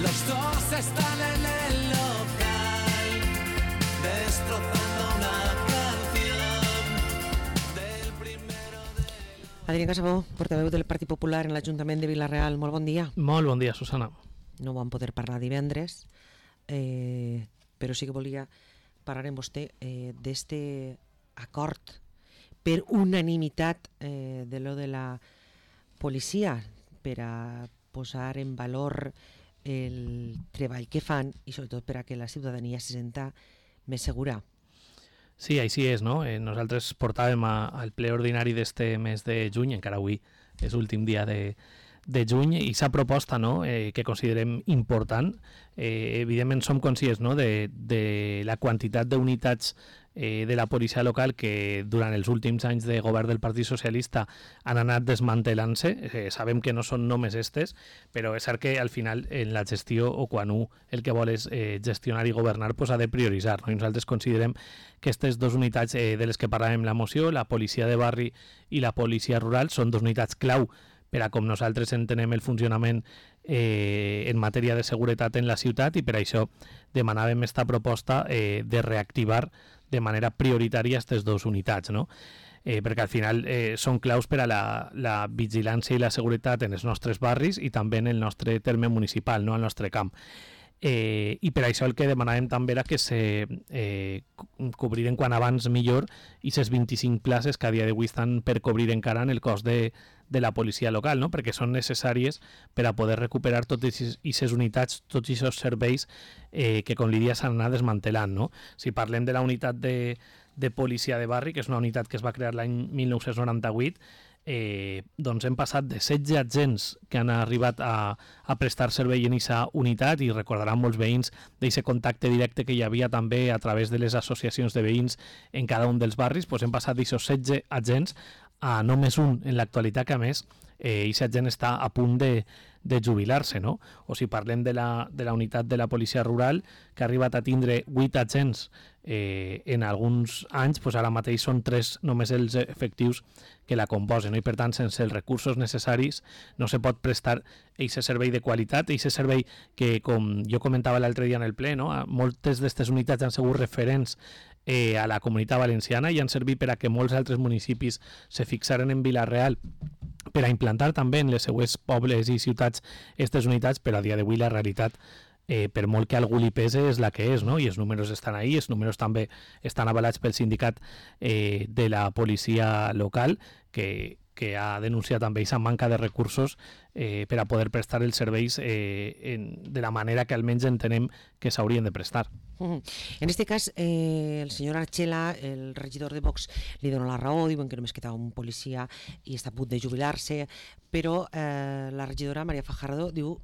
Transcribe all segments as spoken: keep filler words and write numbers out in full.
Los dos están en el local, destrozando una canción del primero de... Adrià Casabó, portaveu del Partit Popular en l'Ajuntament de Vila-real. Molt bon dia. Molt bon dia, Susana. No vam poder parlar divendres, eh, però sí que volia parlar amb vostè eh, d'este acord per unanimitat eh, de lo de la policia per a posar en valor el treball que fan i sobretot per a que la ciutadania se senta més segura. Sí, així és, no? Eh, nosaltres portàvem a, al ple ordinari d'este mes de juny, encara avui és l'últim dia de, de juny, i s'ha proposta, no?, eh, que considerem important. Eh, evidentment som conscients, no?, de, de la quantitat d'unitats eh, de la policia local que durant els últims anys de govern del Partit Socialista han anat desmantelant-se. Eh, sabem que no són només estes, però és cert que al final en la gestió, o quan un el que vol és eh, gestionar i governar, pues ha de prioritzar, no? I nosaltres considerem que aquestes dues unitats eh, de les que parlàvem en la moció, la policia de barri i la policia rural, són dues unitats clau per a com nosaltres entenem el funcionament eh, en matèria de seguretat en la ciutat, i per això demanàvem esta proposta eh, de reactivar de manera prioritària aquestes dues unitats, no? Eh, perquè al final eh, són claus per a la, la vigilància i la seguretat en els nostres barris i també en el nostre terme municipal, no?, al nostre camp. Eh, i per això el que demanàvem també era que se eh, cobriren quan abans millor i ces vint-i-cinc places que a dia d'avui estan per cobrir encara en el cos de, de la policia local, no?, perquè són necessàries per a poder recuperar totes aquestes unitats, tots aquests serveis eh, que com li dia s'han anat desmantelant, no? Si parlem de la unitat de, de policia de barri, que és una unitat que es va crear l'any mil nou-cents noranta-vuit, Eh, doncs hem passat de setze agents que han arribat a, a prestar servei en aquesta unitat, i recordaran molts veïns d'aquest contacte directe que hi havia també a través de les associacions de veïns en cada un dels barris. Doncs hem passat d'aquests setze agents a només un en l'actualitat, que a més eh, aquest agent està a punt de, de jubilar-se, no? O si parlem de la, de la unitat de la policia rural, que ha arribat a tindre vuit agents eh, en alguns anys, doncs ara mateix són tres només els efectius que la composen, no? I per tant, sense els recursos necessaris no se pot prestar aquest servei de qualitat, aquest servei que, com jo comentava l'altre dia en el ple, no?, moltes d'aquestes unitats han sigut referents eh, a la Comunitat Valenciana i han servit per a que molts altres municipis se fixaren en Vila-real per a implantar també en les seues pobles i ciutats aquestes unitats, però a dia d'avui la realitat, eh, per molt que algú li pese, és la que és, no? I els números estan ahí, els números també estan avalats pel sindicat eh, de la policia local, que, que ha denunciat també aquesta manca de recursos eh, per a poder prestar els serveis eh, en, de la manera que almenys entenem que s'haurien de prestar. Uh-huh. En este cas, eh, el senyor Archela, el regidor de Vox, li dona la raó, diuen que només queda un policia i està a punt de jubilar-se, però eh, la regidora Maria Fajardo diu,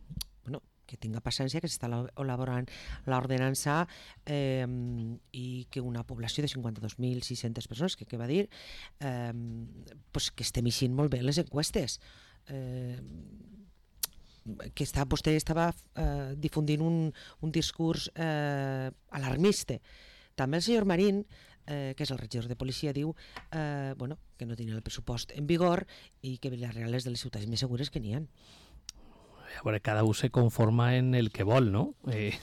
bueno, que tinga paciència, que s'està elaborant l'ordenança eh, i que una població de cinquanta-dos mil sis-centes persones, que, que va dir, eh, pues que estem eixint molt bé les enquestes. Eh, que està, vostè estava eh, difundint un, un discurs eh, alarmista. També el senyor Marín, eh, que és el regidor de policia, diu eh, bueno, que no tenia el pressupost en vigor i que Vila-real és de les ciutats més segures que n'hi ha. A veure, cada un se conforma en el que vol, no? Eh,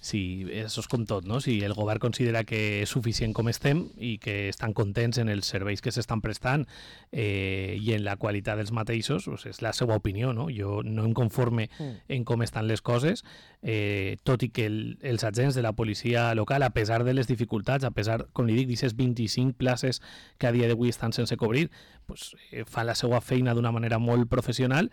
sí, això és com tot, no? Si el govern considera que és suficient com estem i que estan contents en els serveis que s'estan prestant eh, i en la qualitat dels mateixos, doncs és la seva opinió, no? Jo no em conforme mm. en com estan les coses, eh, tot i que el, els agents de la policia local, a pesar de les dificultats, a pesar, com li dic, d'aquestes vint-i-cinc places que a dia d'avui estan sense cobrir, doncs, eh, fan la seva feina d'una manera molt professional,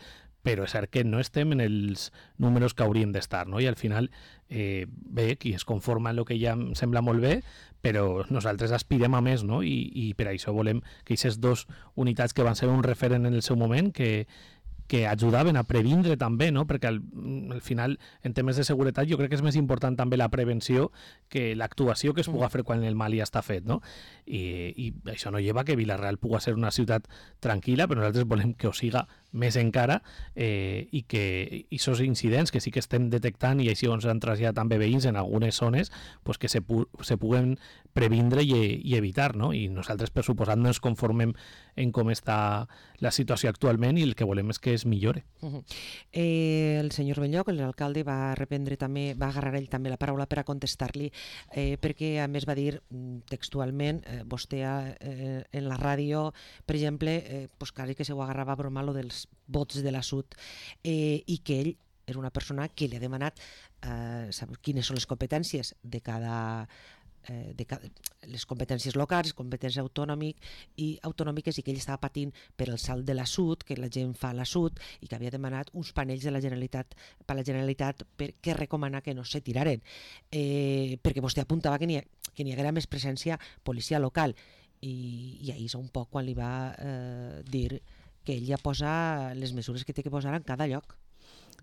però és cert que no estem en els números que hauríem d'estar, no? I al final, eh, bé, qui es conforma en el que ja em sembla molt bé, però nosaltres aspirem a més, no? I, i per això volem que aquestes dues unitats que van ser un referent en el seu moment, que, que ajudaven a previndre també, no? Perquè al, al final, en temes de seguretat, jo crec que és més important també la prevenció que l'actuació que es puga fer quan el mal ja està fet, no? I, i això no lleva que Vila-real puga ser una ciutat tranquil·la, però nosaltres volem que ho siga més encara, eh, i que aquests incidents que sí que estem detectant i així ens han traslladat també veïns en algunes zones, pues que se, pu se puguen previndre i, i evitar, no? I nosaltres, per suposat, no ens conformem en com està la situació actualment i el que volem és que es millore. Uh -huh. eh, el senyor Benlloc, l'alcalde, va reprendre també, va agarrar ell també la paraula per a contestar-li, eh, perquè a més va dir textualment, eh, vostè eh, en la ràdio, per exemple, eh, pues quasi que se ho agarrava a broma lo dels vots de la Sud, eh, i que ell era una persona que li ha demanat eh, saber quines són les competències de cada de cada, les competències locals, competències autònomic i autonòmiques, i que ell estava patint per el salt de la Sud, que la gent fa a la Sud, i que havia demanat uns panells de la Generalitat per la Generalitat perquè recomana que no se tiraren, eh, perquè vostè apuntava que n'hi que n'hi haguera més presència policia local, i, i ahir és un poc quan li va eh, dir que ell ja posa les mesures que té que posar en cada lloc.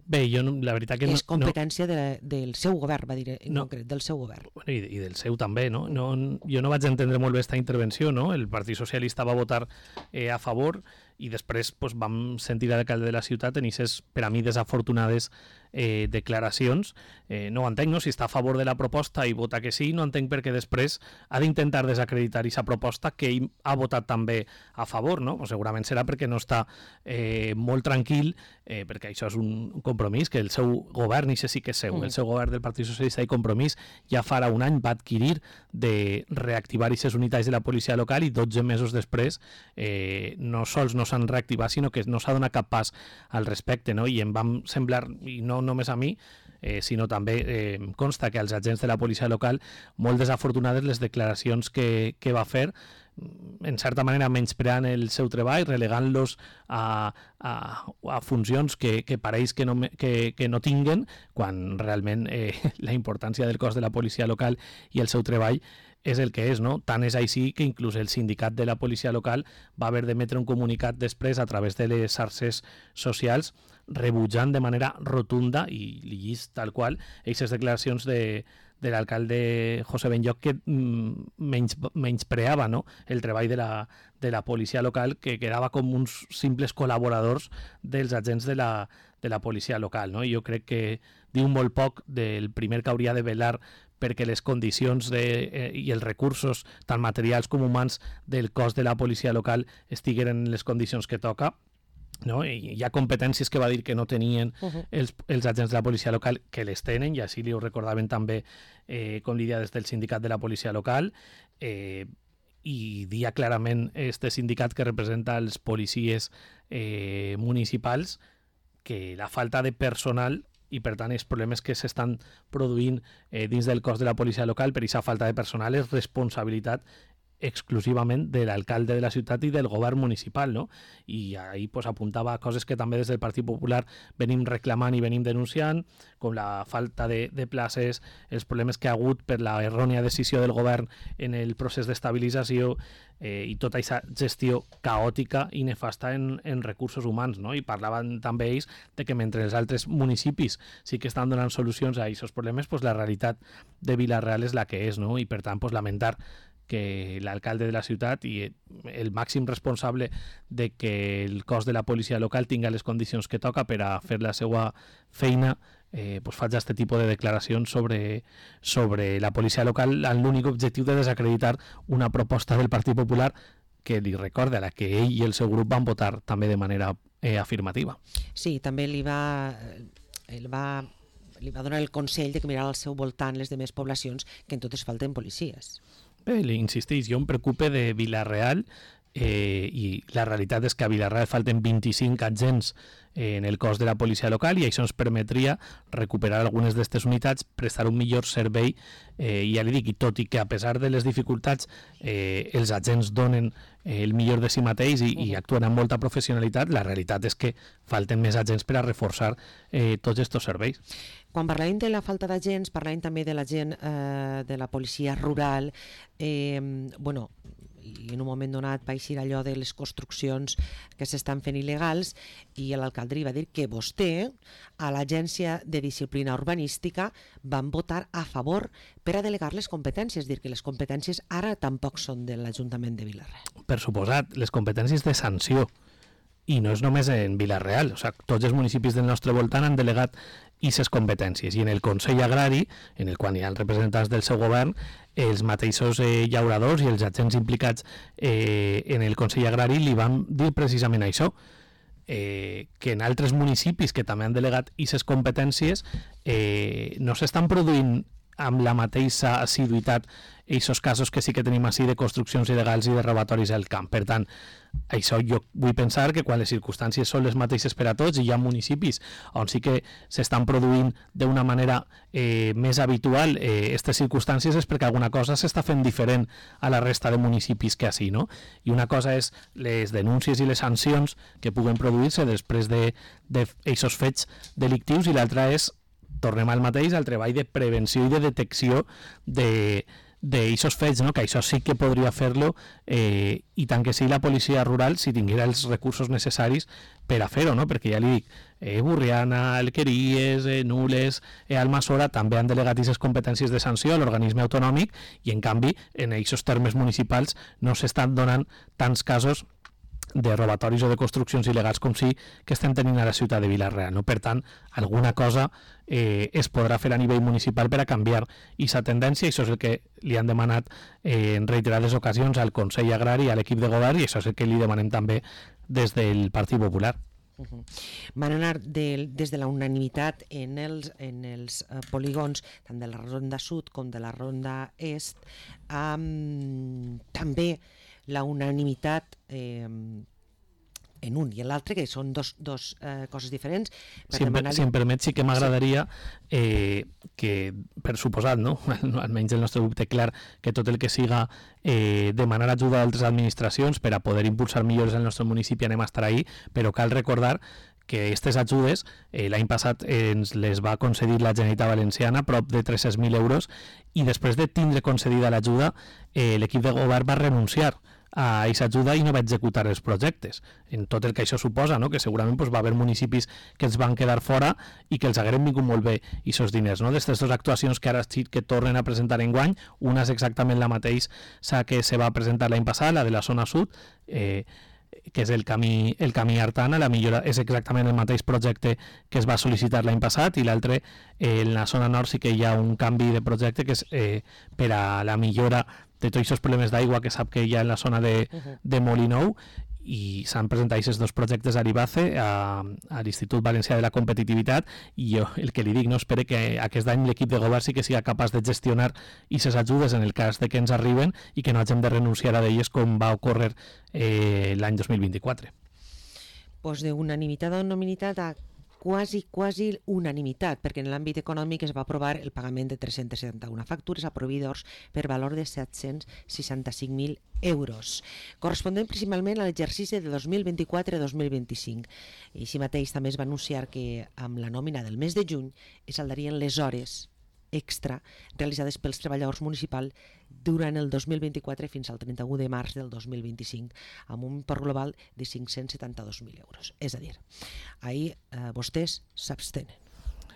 Bé, jo no, la veritat que no... És competència no, de, del seu govern, va dir en no, concret, del seu govern. Bueno, i, i del seu també, no? no? Jo no vaig entendre molt bé aquesta intervenció, no? El Partit Socialista va votar eh, a favor i després pues, vam sentir a l'alcalde de la ciutat en aquestes, per a mi, desafortunades eh, declaracions. Eh, no ho entenc, no? Si està a favor de la proposta i vota que sí, no entenc perquè després ha d'intentar desacreditar aquesta proposta que ell ha votat també a favor, no? O segurament serà perquè no està eh, molt tranquil, eh, perquè això és un compromís que el seu govern, i això sí que és seu, mm. el seu govern del Partit Socialista i Compromís ja farà un any va adquirir de reactivar aquestes unitats de la policia local i dotze mesos després eh, no sols no s'han reactivat, sinó que no s'ha donat cap pas al respecte, no? I em vam semblar, i no només a mi, eh, sinó també eh, consta que als agents de la policia local molt desafortunades les declaracions que, que va fer, en certa manera menyspreant el seu treball, relegant-los a, a, a funcions que, que pareix que no, que, que no tinguen, quan realment eh, la importància del cos de la policia local i el seu treball és el que és, no? Tant és així que inclús el sindicat de la policia local va haver d'emetre un comunicat després a través de les xarxes socials rebutjant de manera rotunda i lligís tal qual aquestes declaracions de, de l'alcalde José Benlloc que mm, menys, menyspreava, no? El treball de la, de la policia local, que quedava com uns simples col·laboradors dels agents de la, de la policia local, no? I jo crec que diu molt poc del primer que hauria de velar perquè les condicions de, eh, i els recursos, tant materials com humans, del cos de la policia local estigueren en les condicions que toca, no? I hi ha competències que va dir que no tenien uh -huh. els, els agents de la policia local, que les tenen, i així li ho recordaven també, eh, com li dia des del sindicat de la policia local, eh, i dia clarament este sindicat que representa els policies eh, municipals que la falta de personal i per tant els problemes que s'estan produint eh, dins del cos de la policia local per aquesta falta de personal és responsabilitat exclusivament de l'alcalde de la ciutat i del govern municipal, no? I ahí pues, apuntava coses que també des del Partit Popular venim reclamant i venim denunciant, com la falta de, de places, els problemes que ha hagut per la errònia decisió del govern en el procés d'estabilització eh, i tota aquesta gestió caòtica i nefasta en, en recursos humans, no? I parlaven també ells de que mentre els altres municipis sí que estan donant solucions a aquests problemes, pues, la realitat de Vila-real és la que és, no? I per tant pues, lamentar que l'alcalde de la ciutat i el màxim responsable de que el cos de la policia local tinga les condicions que toca per a fer la seva feina eh, pues faig aquest tipus de declaracions sobre, sobre la policia local amb l'únic objectiu de desacreditar una proposta del Partit Popular que li recorda a la que ell i el seu grup van votar també de manera eh, afirmativa. Sí, també li va... Ell va li va donar el consell de que mirara al seu voltant les demés poblacions que en totes falten policies. Bé, li insisteix, jo em preocupe de Vila-real eh, i la realitat és que a Vila-real falten vint-i-cinc agents eh, en el cos de la policia local i això ens permetria recuperar algunes d'aquestes unitats, prestar un millor servei eh, i ja li dic, i tot i que a pesar de les dificultats eh, els agents donen eh, el millor de si mateix i, i actuen amb molta professionalitat, la realitat és que falten més agents per a reforçar eh, tots aquests serveis. Quan parlàvem de la falta d'agents, parlàvem també de la gent eh, de la policia rural, eh, bueno, i en un moment donat va eixir allò de les construccions que s'estan fent il·legals i l'alcalde li va dir que vostè a l'Agència de Disciplina Urbanística van votar a favor per a delegar les competències, és dir, que les competències ara tampoc són de l'Ajuntament de Vila-real. Per suposat, les competències de sanció i no és només en Vila-real, o sigui, tots els municipis del nostre voltant han delegat aquestes competències, i en el Consell Agrari, en el qual hi ha representants del seu govern, els mateixos eh, llauradors i els agents implicats eh, en el Consell Agrari li van dir precisament això, eh, que en altres municipis que també han delegat aquestes competències eh, no s'estan produint amb la mateixa assiduïtat aquests casos que sí que tenim així de construccions il·legals i de robatoris al camp. Per tant, això jo vull pensar que quan les circumstàncies són les mateixes per a tots i hi ha municipis on sí que s'estan produint d'una manera eh, més habitual aquestes eh, circumstàncies és perquè alguna cosa s'està fent diferent a la resta de municipis que així, no? I una cosa és les denúncies i les sancions que puguen produir-se després d'aquests fets delictius i l'altra és, tornem al mateix, al treball de prevenció i de detecció de d'aquests fets, no? Que això sí que podria fer-lo eh, i tant que sí la policia rural si tinguera els recursos necessaris per a fer-ho, no? Perquè ja li dic, eh, Burriana, Alqueries, eh, Nules, eh, Almassora també han delegat aquestes competències de sanció a l'organisme autonòmic i en canvi en aquests termes municipals no s'estan donant tants casos de robatoris o de construccions il·legals com sí que estem tenint a la ciutat de Vila-real, no? Per tant, alguna cosa eh, es podrà fer a nivell municipal per a canviar aquesta tendència, i això és el que li han demanat eh, en reiterades ocasions al Consell Agrari, a l'equip de govern, i això és el que li demanem també des del Partit Popular. Uh-huh. Van anar de, des de la unanimitat en els, en els uh, polígons tant de la Ronda Sud com de la Ronda Est, um, també la unanimitat eh, en un i en l'altre, que són dos, dos eh, coses diferents. Per si, demanar... si em permet, sí que m'agradaria eh, que, per suposat, no? Almenys el nostre grup té clar que tot el que siga eh, demanar ajuda d'altres administracions per a poder impulsar millores al nostre municipi anem a estar ahí, però cal recordar que aquestes ajudes eh, l'any passat ens les va concedir la Generalitat Valenciana, prop de tres-cents mil euros, i després de tindre concedida l'ajuda, eh, l'equip de govern va renunciar a aquesta ajuda i no va executar els projectes, en tot el que això suposa, no? Que segurament pues, va haver municipis que els van quedar fora i que els hagueren vingut molt bé aquests diners, no? D'aquestes dues actuacions que ara sí que tornen a presentar enguany, una és exactament la mateixa que se va presentar l'any passat, la de la zona sud, eh, que és el camí, el camí Artana, la millora és exactament el mateix projecte que es va sol·licitar l'any passat, i l'altre, eh, en la zona nord sí que hi ha un canvi de projecte que és eh, per a la millora de tots aquests problemes d'aigua que sap que hi ha en la zona de, uh-huh. de Molinou, i s'han presentat aquests dos projectes a l'IBACE, a, a l'Institut Valencià de la Competitivitat, i jo el que li dic, no espere que aquest any l'equip de govern sí que siga capaç de gestionar aquestes ajudes en el cas de que ens arriben i que no hagin de renunciar a d'elles com va ocórrer eh, l'any dos mil vint-i-quatre. Pues d'unanimitat a unanimitat a quasi, quasi unanimitat, perquè en l'àmbit econòmic es va aprovar el pagament de tres-cents setanta-una factures a proveïdors per valor de set-cents seixanta-cinc mil euros, corresponent principalment a l'exercici de dos mil vint-i-quatre dos mil vint-i-cinc. I així mateix també es va anunciar que amb la nòmina del mes de juny es saldarien les hores extra realitzades pels treballadors municipals durant el dos mil vint-i-quatre fins al trenta-u de març del dos mil vint-i-cinc, amb un import global de cinc-cents setanta-dos mil euros. És a dir, ahir eh, vostès s'abstenen.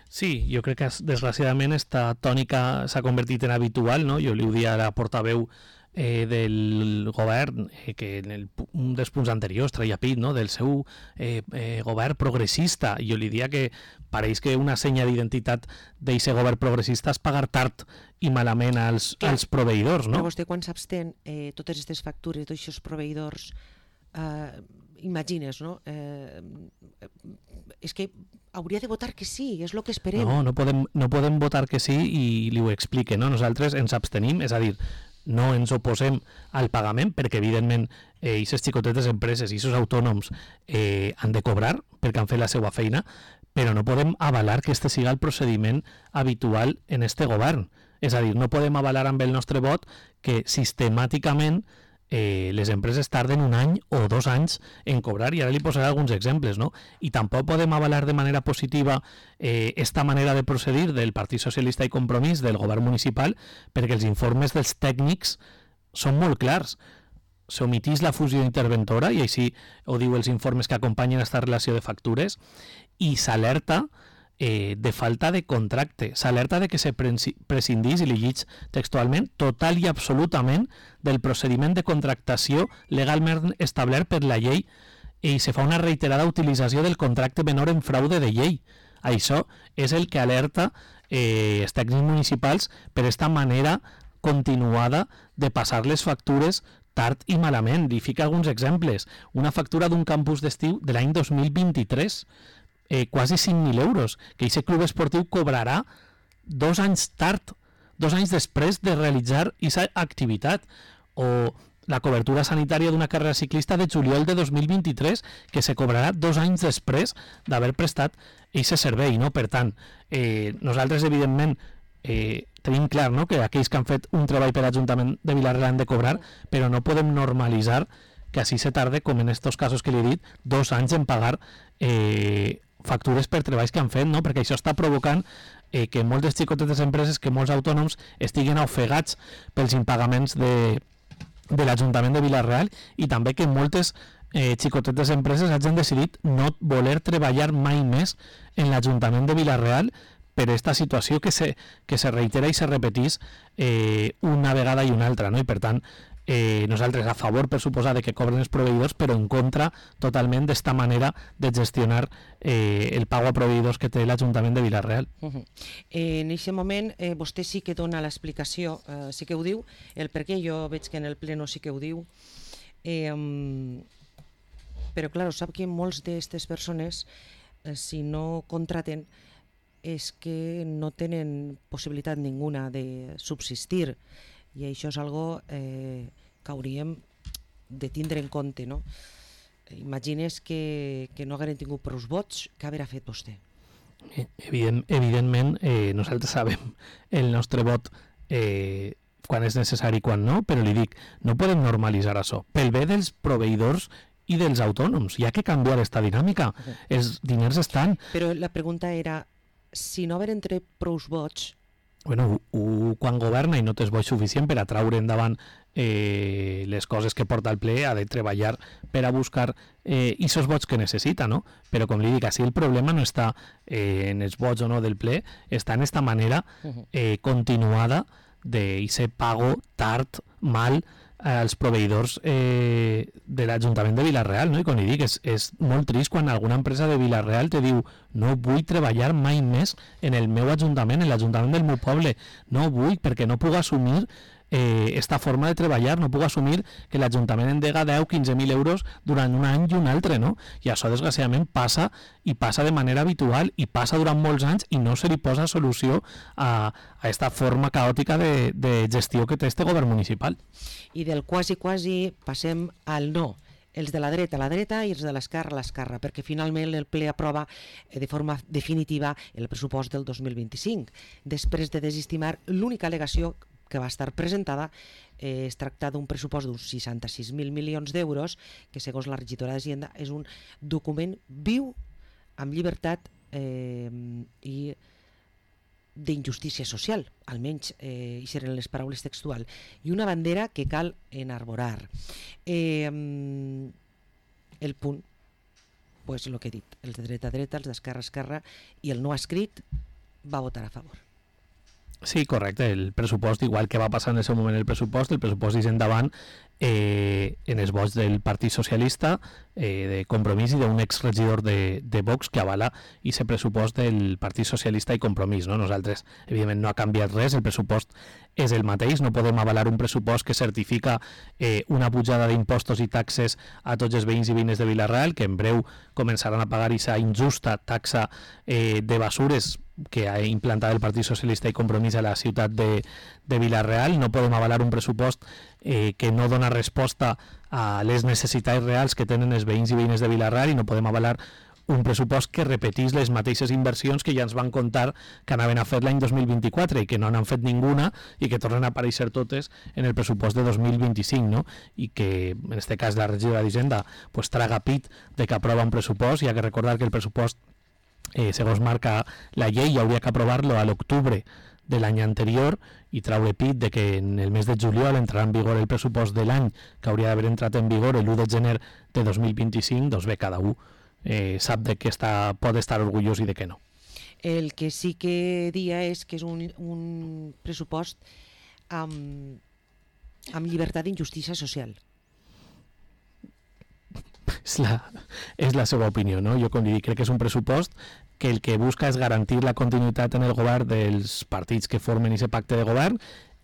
Sí, jo crec que desgraciadament esta tònica s'ha convertit en habitual, no? Jo li ho dia a la portaveu eh, del govern, eh, que en el, un dels punts anteriors traia pit, no? Del seu eh, eh, govern progressista. Jo li dia que pareix que una senya d'identitat d'aquest govern progressista és pagar tard i malament als, als proveïdors, no? Però vostè quan s'abstén, eh, totes aquestes factures tots aquests proveïdors, eh, imagines, no? Eh, és que hauria de votar que sí, és el que esperem. No, no podem, no podem votar que sí, i li ho explique, no? Nosaltres ens abstenim, és a dir, no ens oposem al pagament, perquè evidentment aquestes eh, xicotetes empreses i aquests autònoms eh, han de cobrar perquè han fet la seva feina, però no podem avalar que este siga el procediment habitual en este govern. És a dir, no podem avalar amb el nostre vot que sistemàticament eh, les empreses tarden un any o dos anys en cobrar, i ara li posaré alguns exemples, no? I tampoc podem avalar de manera positiva eh, esta manera de procedir del Partit Socialista i Compromís del govern municipal, perquè els informes dels tècnics són molt clars. S'omitís la fusió interventora, i així ho diu els informes que acompanyen aquesta relació de factures, i s'alerta eh, de falta de contracte, s'alerta de que se prescindís, i li llig textualment, total i absolutament del procediment de contractació legalment establert per la llei i se fa una reiterada utilització del contracte menor en fraude de llei. Això és el que alerta eh, els tècnics municipals per esta manera continuada de passar les factures tard i malament. Li fica alguns exemples. Una factura d'un campus d'estiu de l'any dos mil vint-i-tres, eh, quasi cinc mil euros, que aquest club esportiu cobrarà dos anys tard, dos anys després de realitzar aquesta activitat. O la cobertura sanitària d'una carrera ciclista de juliol de dos mil vint-i-tres, que se cobrarà dos anys després d'haver prestat aquest servei, no? Per tant, eh, nosaltres, evidentment, eh, tenim clar, no?, que aquells que han fet un treball per l'Ajuntament de Vila-real han de cobrar, però no podem normalitzar que així se tarde, com en estos casos que li he dit, dos anys en pagar eh, factures per treballs que han fet, no? Perquè això està provocant eh, que moltes xicotetes empreses, que molts autònoms estiguen ofegats pels impagaments de de l'Ajuntament de Vila-real, i també que moltes eh, xicotetes empreses hagin decidit no voler treballar mai més en l'Ajuntament de Vila-real per aquesta situació que se, que se reitera i se repetís eh, una vegada i una altra, no? I per tant, eh, nosaltres a favor, per suposar, de que cobren els proveïdors, però en contra totalment d'esta manera de gestionar eh, el pago a proveïdors que té l'Ajuntament de Vila-real. Uh -huh. eh, en aquest moment eh, vostè sí que dona l'explicació, eh, sí que ho diu, el per què jo veig que en el pleno sí que ho diu, eh, um, però clar, sap que molts d'aquestes persones, eh, si no contraten, és que no tenen possibilitat ninguna de subsistir, i això és algo eh, que hauríem de tindre en compte, no? Imagines que, que no hagueren tingut prou vots, què haurà fet vostè? Evident, evidentment, eh, nosaltres sabem el nostre vot eh, quan és necessari i quan no, però li dic, no podem normalitzar això. Pel bé dels proveïdors i dels autònoms, hi ha que canviar aquesta dinàmica. Uh-huh. Els diners estan... Però la pregunta era, si no haver entre prou vots... Bueno, u, quan governa i no tens vots suficient per a traure endavant eh, les coses que porta al ple, ha de treballar per a buscar eh, esos vots que necessita, no? Però com li dic, així el problema no està eh, en els vots o no del ple, està en esta manera eh, continuada d'aquest pago tard, mal, als proveïdors eh, de l'Ajuntament de Vila-real, no? I com li dic, és, és molt trist quan alguna empresa de Vila-real te diu no vull treballar mai més en el meu ajuntament, en l'Ajuntament del meu poble, no vull perquè no puc assumir eh, esta forma de treballar, no puc assumir que l'Ajuntament endega deu a quinze mil euros durant un any i un altre, no? I això desgraciadament passa, i passa de manera habitual, i passa durant molts anys, i no se li posa solució a, a esta forma caòtica de, de gestió que té este govern municipal. I del quasi quasi passem al no. Els de la dreta a la dreta i els de l'esquerra a l'esquerra, perquè finalment el ple aprova de forma definitiva el pressupost del dos mil vint-i-cinc, després de desestimar l'única al·legació que va estar presentada. Eh, es tracta d'un pressupost d'uns seixanta-sis mil milions d'euros, que segons la regidora d'Hisenda és un document viu, amb llibertat eh, i d'injustícia social, almenys eh, hi seran les paraules textuals, i una bandera que cal enarborar. Eh, el punt, pues el que he dit, els de dreta a dreta, els d'esquerra a esquerra, i el no escrit va votar a favor. Sí, correcte, el pressupost, igual que va passar en el seu moment el pressupost, el pressupost és endavant eh, en els vots del Partit Socialista, eh, de Compromís, i d'un exregidor de, de Vox que avala aquest pressupost del Partit Socialista i Compromís, no? Nosaltres, evidentment, no ha canviat res, el pressupost és el mateix, no podem avalar un pressupost que certifica eh, una pujada d'impostos i taxes a tots els veïns i veïnes de Vila-real, que en breu començaran a pagar aquesta injusta taxa eh, de basures que ha implantat el Partit Socialista i Compromís a la ciutat de, de Vila-real. No podem avalar un pressupost eh, que no dona resposta a les necessitats reals que tenen els veïns i veïnes de Vila-real, i no podem avalar un pressupost que repetís les mateixes inversions que ja ens van contar que anaven a fer l'any dos mil vint-i-quatre i que no n'han fet ninguna i que tornen a aparèixer totes en el pressupost de dos mil vint-i-cinc, no? I que en este cas la regidora d'Hisenda pues, traga pit de que aprova un pressupost. Hi ha que recordar que el pressupost, eh, segons marca la llei, hauria que aprovar-lo a l'octubre de l'any anterior i traure pit de que en el mes de juliol entrarà en vigor el pressupost de l'any que hauria d'haver entrat en vigor l'u de gener de dos mil vint-i-cinc. Doncs bé, cada un eh, sap de què està, pot estar orgullós i de què no. El que sí que dia és que és un, un pressupost amb, amb llibertat d'injustícia social. és la, és la seva opinió, no? Jo, com li dic, crec que és un pressupost que el que busca és garantir la continuïtat en el govern dels partits que formen aquest pacte de govern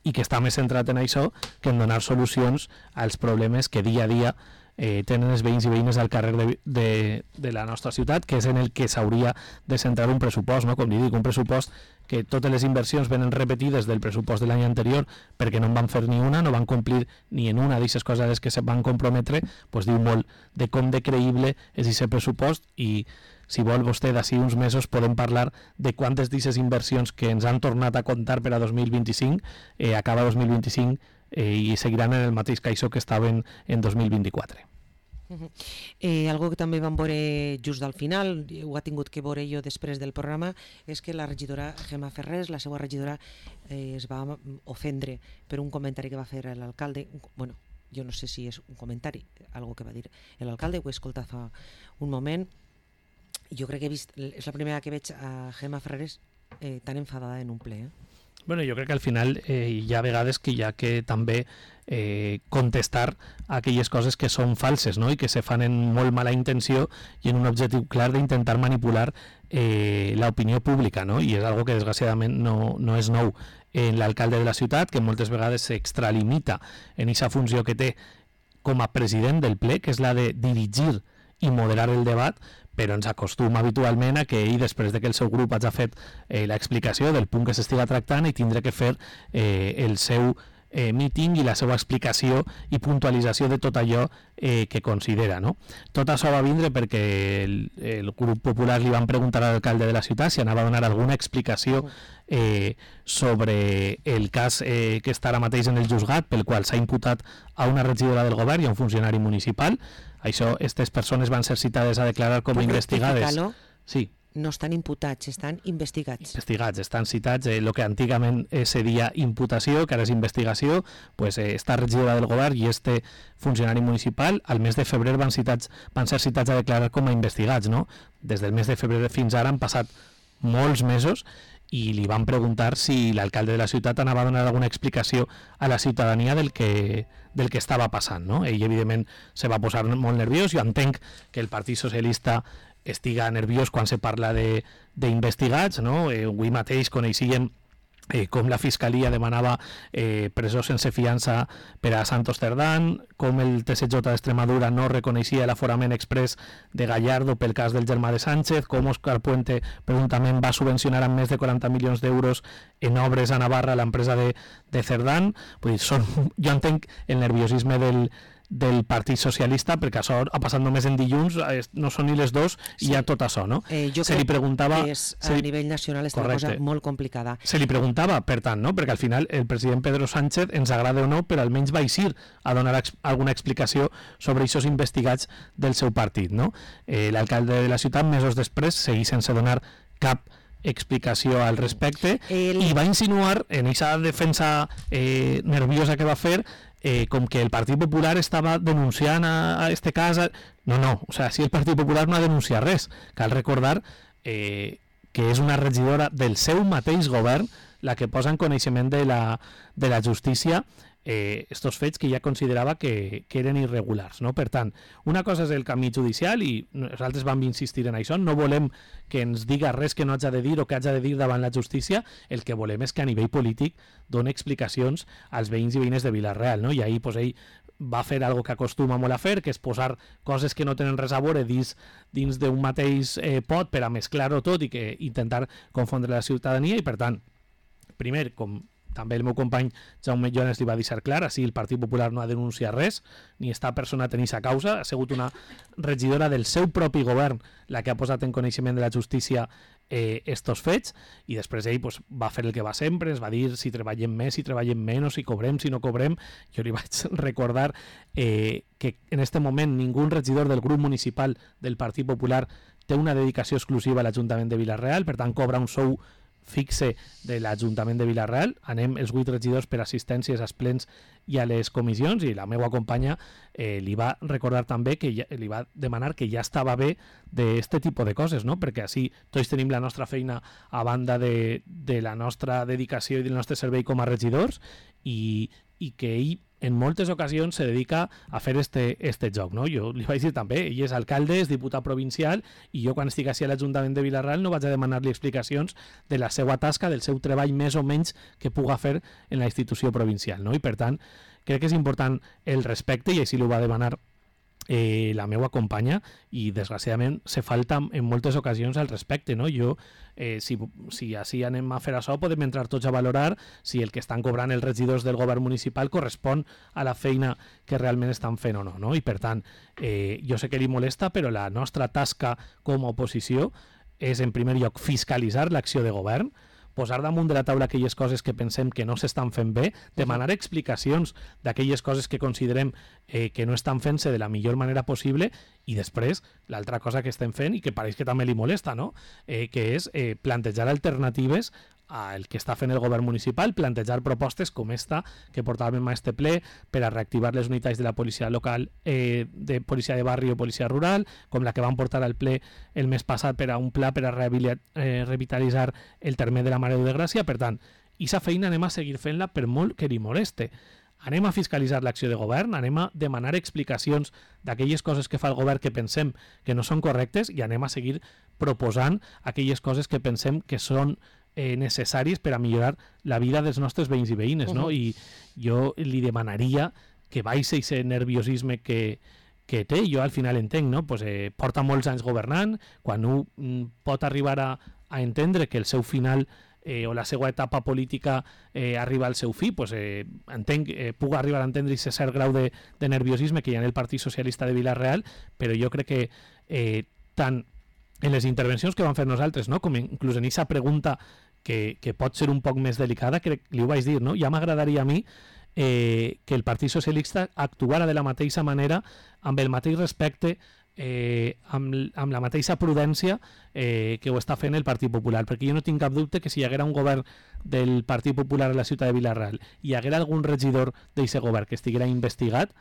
i que està més centrat en això que en donar solucions als problemes que dia a dia eh, tenen els veïns i veïnes al carrer de, de, de la nostra ciutat, que és en el que s'hauria de centrar un pressupost, no? Com li dic, un pressupost que totes les inversions venen repetides del pressupost de l'any anterior perquè no en van fer ni una, no van complir ni en una d'aquestes coses a les que se van comprometre, doncs diu molt de com de creïble és aquest pressupost i si vol vostè d'ací uns mesos podem parlar de quantes d'aquestes inversions que ens han tornat a comptar per a dos mil vint-i-cinc eh, acaba dos mil vint-i-cinc eh, i seguiran en el mateix caixó que estaven en dos mil vint-i-quatre. Uh-huh. Eh, algo que també vam veure just al final, ho ha tingut que veure jo després del programa, és que la regidora Gemma Ferrés, la seva regidora, eh, es va ofendre per un comentari que va fer l'alcalde. Bueno, jo no sé si és un comentari, algo que va dir l'alcalde, ho he escoltat fa un moment. Jo crec que he vist, és la primera que veig a Gemma Ferrés eh, tan enfadada en un ple. Eh? Bueno, jo crec que al final eh, hi ha vegades que hi ha que també eh, contestar a aquelles coses que són falses, no? I que se fan en molt mala intenció i en un objectiu clar d'intentar manipular eh, l'opinió pública, no? I és algo que desgraciadament no, no és nou en l'alcalde de la ciutat, que moltes vegades s'extralimita en aquesta funció que té com a president del ple, que és la de dirigir i moderar el debat, però ens acostuma habitualment a que ell, després de que el seu grup hagi fet eh, l'explicació del punt que s'estiga tractant, i tindrà que fer eh, el seu eh, míting i la seva explicació i puntualització de tot allò eh, que considera, no? Tot això va vindre perquè el, el grup popular li van preguntar a l'alcalde de la ciutat si anava a donar alguna explicació eh, sobre el cas eh, que està ara mateix en el juzgat, pel qual s'ha imputat a una regidora del govern i a un funcionari municipal. Això, aquestes persones van ser citades a declarar com a investigades. Sí. No estan imputats, estan investigats. Investigats, estan citats. El eh, que antigament eh, seria imputació, que ara és investigació, pues, eh, esta regidora del govern i este funcionari municipal al mes de febrer van, citats, van ser citats a declarar com a investigats, no? Des del mes de febrer fins ara han passat molts mesos i li van preguntar si l'alcalde de la ciutat anava a donar alguna explicació a la ciutadania del que, del que estava passant, no? Ell, evidentment, se va posar molt nerviós. Jo entenc que el Partit Socialista estiga nerviós quan se parla d'investigats, no? Eh, avui mateix coneixíem Eh, com la Fiscalia demanava eh, presó sense fiança per a Santos Cerdán, com el T S J d'Extremadura no reconeixia l'aforament express de Gallardo pel cas del germà de Sánchez, com Òscar Puente presumptament va subvencionar amb més de quaranta milions d'euros en obres a Navarra l'empresa de, de Cerdán. Vull dir, són, jo entenc el nerviosisme del del Partit Socialista, perquè això ha passat només en dilluns, no són ni les dos i sí. Hi ha tot això, no? Eh, jo se crec li preguntava, que és, a li... nivell nacional és una cosa molt complicada. Se li preguntava, per tant, no? Perquè al final el president Pedro Sánchez, ens agrada o no, però almenys va eixir a donar ex alguna explicació sobre aquests investigats del seu partit, no? Eh, l'alcalde de la ciutat, mesos després, seguís sense donar cap explicació al respecte el... i va insinuar en aquesta defensa eh, nerviosa que va fer Eh, com que el Partit Popular estava denunciant a, a este cas. A... No, no, o sea, si el Partit Popular no ha denunciat res. Cal recordar eh, que és una regidora del seu mateix govern la que posa en coneixement de la, de la justícia eh, estos fets que ja considerava que, que eren irregulars, no? Per tant, una cosa és el camí judicial i nosaltres vam insistir en això, no volem que ens diga res que no haja de dir o que haja de dir davant la justícia, el que volem és que a nivell polític doni explicacions als veïns i veïnes de Vila-real, no? I ahir pues, ell va fer algo que acostuma molt a fer, que és posar coses que no tenen res a veure dins, dins d'un mateix eh, pot per a mesclar-ho tot i que intentar confondre la ciutadania i, per tant, primer, com també el meu company Jaume Jones li va deixar clar, així el Partit Popular no ha denunciat res, ni està personat en aquesta causa, ha sigut una regidora del seu propi govern la que ha posat en coneixement de la justícia eh, estos fets, i després ell pues, va fer el que va sempre, ens va dir si treballem més, si treballem menys, si cobrem, si no cobrem. Jo li vaig recordar eh, que en este moment ningú regidor del grup municipal del Partit Popular té una dedicació exclusiva a l'Ajuntament de Vila-real, per tant cobra un sou fixe de l'Ajuntament de Vila-real. Anem els vuit regidors per assistències als plens i a les comissions, i la meva companya eh, li va recordar també que ja, li va demanar que ja estava bé d'aquest tipus de coses, no? Perquè així tots tenim la nostra feina a banda de, de la nostra dedicació i del nostre servei com a regidors, i, i que ell en moltes ocasions se dedica a fer este, este joc, no? Jo li vaig dir també, ell és alcalde, és diputat provincial, i jo quan estic així a l'Ajuntament de Vila-real no vaig a demanar-li explicacions de la seva tasca, del seu treball més o menys que puga fer en la institució provincial, no? I per tant, crec que és important el respecte, i així l'ho va demanar Eh, la meva companya, i desgraciadament se falta en moltes ocasions al respecte, no? Jo, eh, si, si així anem a fer això, podem entrar tots a valorar si el que estan cobrant els regidors del govern municipal correspon a la feina que realment estan fent o no, no? I per tant, eh, jo sé que li molesta, però la nostra tasca com a oposició és en primer lloc fiscalitzar l'acció de govern, posar damunt de la taula aquelles coses que pensem que no s'estan fent bé, demanar explicacions d'aquelles coses que considerem eh, que no estan fent-se de la millor manera possible, i després l'altra cosa que estem fent i que pareix que també li molesta, no? eh, que és eh, plantejar alternatives al que està fent el govern municipal, plantejar propostes com esta que portàvem a este ple per a reactivar les unitats de la policia local, eh, de policia de barri o policia rural, com la que van portar al ple el mes passat per a un pla per a eh, revitalitzar el terme de la Mare de Gràcia. Per tant, aquesta feina anem a seguir fent-la per molt que li moleste. Anem a fiscalitzar l'acció de govern, anem a demanar explicacions d'aquelles coses que fa el govern que pensem que no són correctes, i anem a seguir proposant aquelles coses que pensem que són Eh, necessaris per a millorar la vida dels nostres veïns i veïnes, no? Uh-huh. I jo li demanaria que baixi aquest nerviosisme que, que té. Jo al final entenc, no? Pues, eh, porta molts anys governant, quan un mm, pot arribar a, a entendre que el seu final eh, o la seva etapa política eh, arriba al seu fi, pues, eh, entenc, eh, puc arribar a entendre aquest cert grau de, de nerviosisme que hi ha en el Partit Socialista de Vila-real, però jo crec que eh, tant en les intervencions que vam fer nosaltres, no? Com inclús en aquesta pregunta que, que pot ser un poc més delicada, crec que li ho vaig dir, no? Ja m'agradaria a mi eh, que el Partit Socialista actuara de la mateixa manera, amb el mateix respecte, eh, amb, amb la mateixa prudència eh, que ho està fent el Partit Popular, perquè jo no tinc cap dubte que si hi haguera un govern del Partit Popular a la ciutat de Vila-real i hi haguera algun regidor d'aquest govern que estiguera investigat,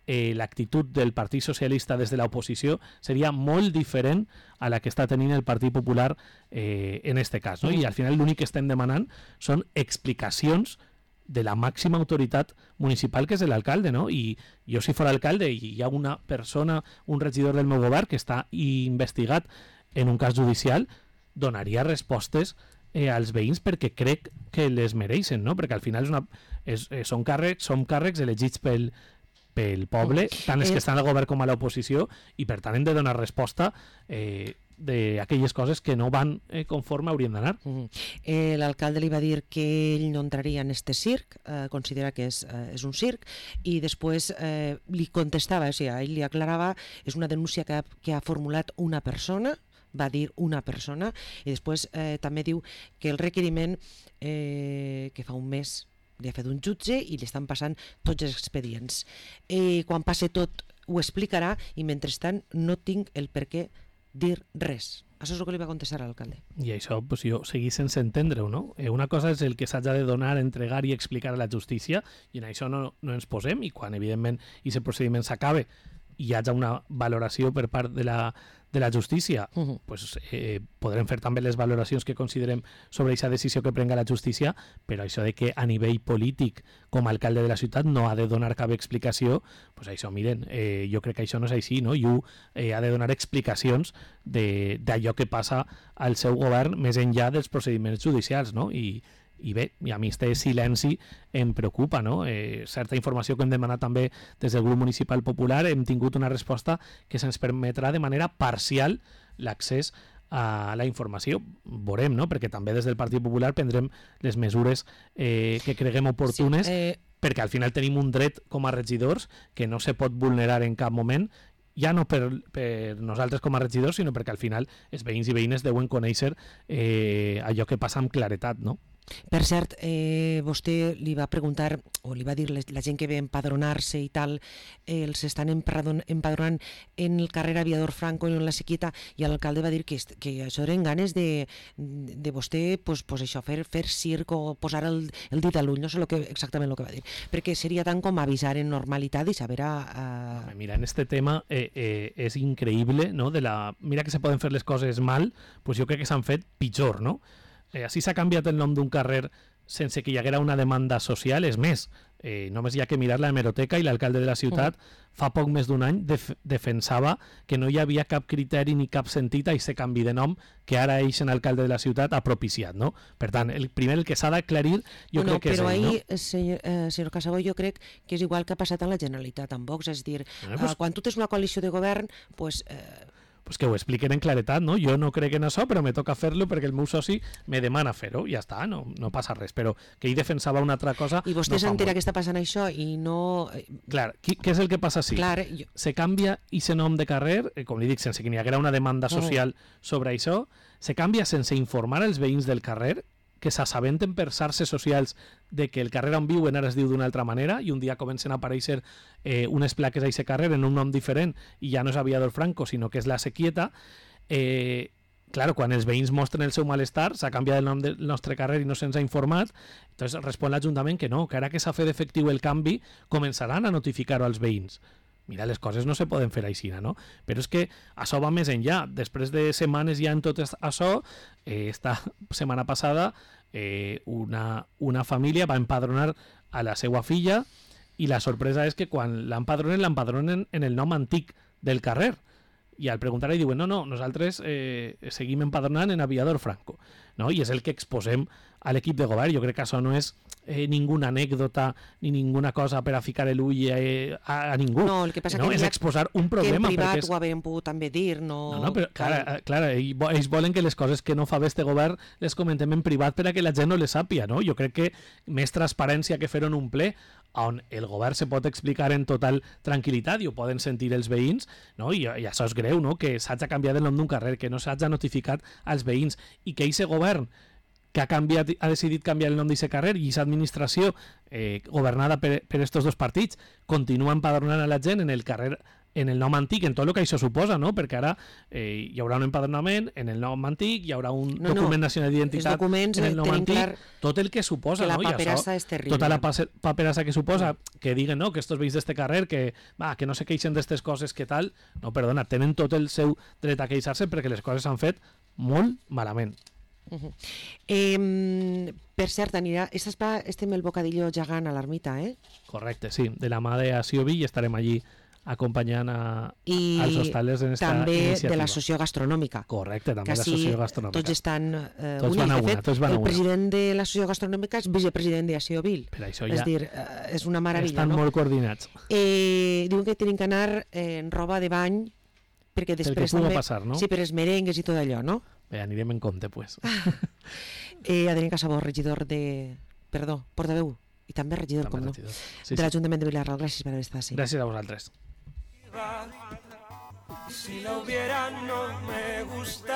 Eh, l'actitud del Partit Socialista des de l'oposició seria molt diferent a la que està tenint el Partit Popular eh, en este cas, no? I al final l'únic que estem demanant són explicacions de la màxima autoritat municipal, que és l'alcalde, no? I jo, si fos alcalde i hi ha una persona, un regidor del meu govern que està investigat en un cas judicial, donaria respostes eh, als veïns perquè crec que les mereixen, no? Perquè al final és una, és, eh, són càrrecs, són càrrecs elegits pel pel poble, tant els que estan al govern com a l'oposició, i per tant hem de donar resposta eh, d'aquelles coses que no van eh, conforme haurien d'anar. Uh-huh. eh, L'alcalde li va dir que ell no entraria en este circ, eh, considera que és, eh, és un circ, i després eh, li contestava, o sigui, ell li aclarava, és una denúncia que ha, que ha formulat una persona, va dir una persona, i després eh, també diu que el requeriment eh, que fa un mes li ha fet un jutge i li estan passant tots els expedients. Eh, quan passe tot ho explicarà, i mentrestant no tinc el per què dir res. Això és el que li va contestar a l'alcalde. I això, pues, jo seguís sense entendre-ho, no? Eh, una cosa és el que s'haja de donar, entregar i explicar a la justícia, i en això no, no ens posem, i quan evidentment aquest procediment s'acabe i hi hagi una valoració per part de la, de la justícia, uh-huh. pues, eh, podrem fer també les valoracions que considerem sobre aquesta decisió que prenga la justícia, però això de que a nivell polític, com a alcalde de la ciutat, no ha de donar cap explicació, pues això, miren, eh, jo crec que això no és així, no? I ho eh, ha de donar explicacions d'allò que passa al seu govern més enllà dels procediments judicials, no? I I bé, i a mi este silenci em preocupa, no? Eh, certa informació que hem demanat també des del grup municipal popular, hem tingut una resposta que se'ns permetrà de manera parcial l'accés a la informació. Veurem, no? Perquè també des del Partit Popular prendrem les mesures eh, que creguem oportunes, sí, eh... perquè al final tenim un dret com a regidors que no se pot vulnerar en cap moment, ja no per, per nosaltres com a regidors, sinó perquè al final els veïns i veïnes deuen conèixer eh, allò que passa amb claretat, no? Per cert, eh, vostè li va preguntar, o li va dir la gent que ve a empadronar-se i tal, eh, els estan empadronant en el carrer Aviador Franco i en la Sequita, i l'alcalde va dir que, que això eren ganes de, de vostè, pues, pues això, fer, fer circ o posar el, el dit a l'ull, no sé lo que, exactament el que va dir, perquè seria tant com avisar en normalitat i saber a... a... Mira, en este tema eh, eh, és increïble, no? De la... Mira que se poden fer les coses mal, pues jo crec que s'han fet pitjor, no? Eh, així s'ha canviat el nom d'un carrer sense que hi haguera una demanda social. És més, eh, només hi ha que mirar la hemeroteca i l'alcalde de la ciutat uh -huh. fa poc més d'un any def defensava que no hi havia cap criteri ni cap sentit a aquest canvi de nom que ara eix en alcalde de la ciutat ha propiciat, no? Per tant, el primer el que s'ha d'aclarir jo bueno, crec que és ell, ahí, no? senyor, eh, senyor Casabó, jo crec que és igual que ha passat a la Generalitat amb Vox, és dir, Eh, pues, eh, quan tu tens una coalició de govern, pues, eh, pues que ho expliquen en claretat, no? Jo no crec en això, però me toca fer-lo perquè el meu soci me demana fer-ho, i ja està, no, no passa res, però que ell defensava una altra cosa... i vostè no s'entera molt. que està passant això i no... Clar, qui, què és el que passa així? Clar, jo... Se canvia aquest nom de carrer, eh, com li dic, sense que n'hi haguera una demanda social oh. sobre això, se canvia sense informar els veïns del carrer, que s'assabenten per xarxes socials de que el carrer on viuen ara es diu d'una altra manera i un dia comencen a aparèixer eh, unes plaques a aquest carrer en un nom diferent i ja no és Aviador Franco, sinó que és la Sequieta. Eh, claro, quan els veïns mostren el seu malestar, s'ha canviat el nom del nostre carrer i no se'ns ha informat, entonces respon l'Ajuntament que no, que ara que s'ha fet efectiu el canvi, començaran a notificar-ho als veïns. Mira, les coses no se poden fer així, no? Però és que això va més enllà. Després de setmanes ja en tot això, eh, esta setmana passada, eh, una, una família va empadronar a la seva filla i la sorpresa és que quan l'empadronen, l'empadronen en el nom antic del carrer. I al preguntar-li diuen, no, no, nosaltres eh, seguim empadronant en Aviador Franco. No? I és el que exposem a l'equip de govern. Jo crec que això no és eh, ninguna anècdota ni ninguna cosa per a ficar l'ull eh, a, a ningú. No, el que passa no? que és exposar un problema. Que en privat és... ho havíem pogut també dir. No, no, no però clar, clar, ells volen que les coses que no fa bé este govern les comentem en privat per a que la gent no les sàpia. No? Jo crec que més transparència que fer en un ple on el govern se pot explicar en total tranquil·litat i ho poden sentir els veïns, no? I, i això és greu, no? Que s'hagi canviat el nom d'un carrer, que no s'hagi notificat als veïns i que aquest govern que ha, canviat, ha decidit canviar el nom d'aquest carrer i aquesta administració eh, governada per, per estos dos partits continua empadronant a la gent en el carrer en el nom antic, en tot el que això suposa, no? Perquè ara eh, hi haurà un empadronament en el nom antic, hi haurà un no, document no. nacional d'identitat en el nom antic, tot el que suposa, que la no? paperassa és terrible. Tota la paperassa que suposa, que diguen, no?, que estos veïns d'este carrer, que, va, que no se queixen d'estes coses, que tal, no, perdona, tenen tot el seu dret a queixar-se perquè les coses s'han fet molt malament. Uh -huh. eh, per cert, anirà, estem el bocadillo gegant a l'ermita, eh? Correcte, sí, de la mà de Asiobi i estarem allí acompanyant a, I als hostales en esta també iniciativa. de la sociogastronòmica. Correcte, també que de la sí, sociogastronòmica. tots estan eh, tots units. van a De una, fet, tots van a el una. president de la sociogastronòmica és vicepresident de Asiobil. Per això És ja dir, eh, és una meravella, estan no? molt coordinats. Eh, diuen que tenen que anar eh, en roba de bany perquè després pugui també... passar, no? Sí, per els merengues i tot allò, no? Bé, anirem en compte, pues. eh, Adrián Casabó, regidor de... Perdó, portaveu i també regidor, També com no, regidor. Sí, de sí. l'Ajuntament de Vilarral. Gràcies per haver estat així. Gràcies a vosaltres. Si la hubiera no me gusta.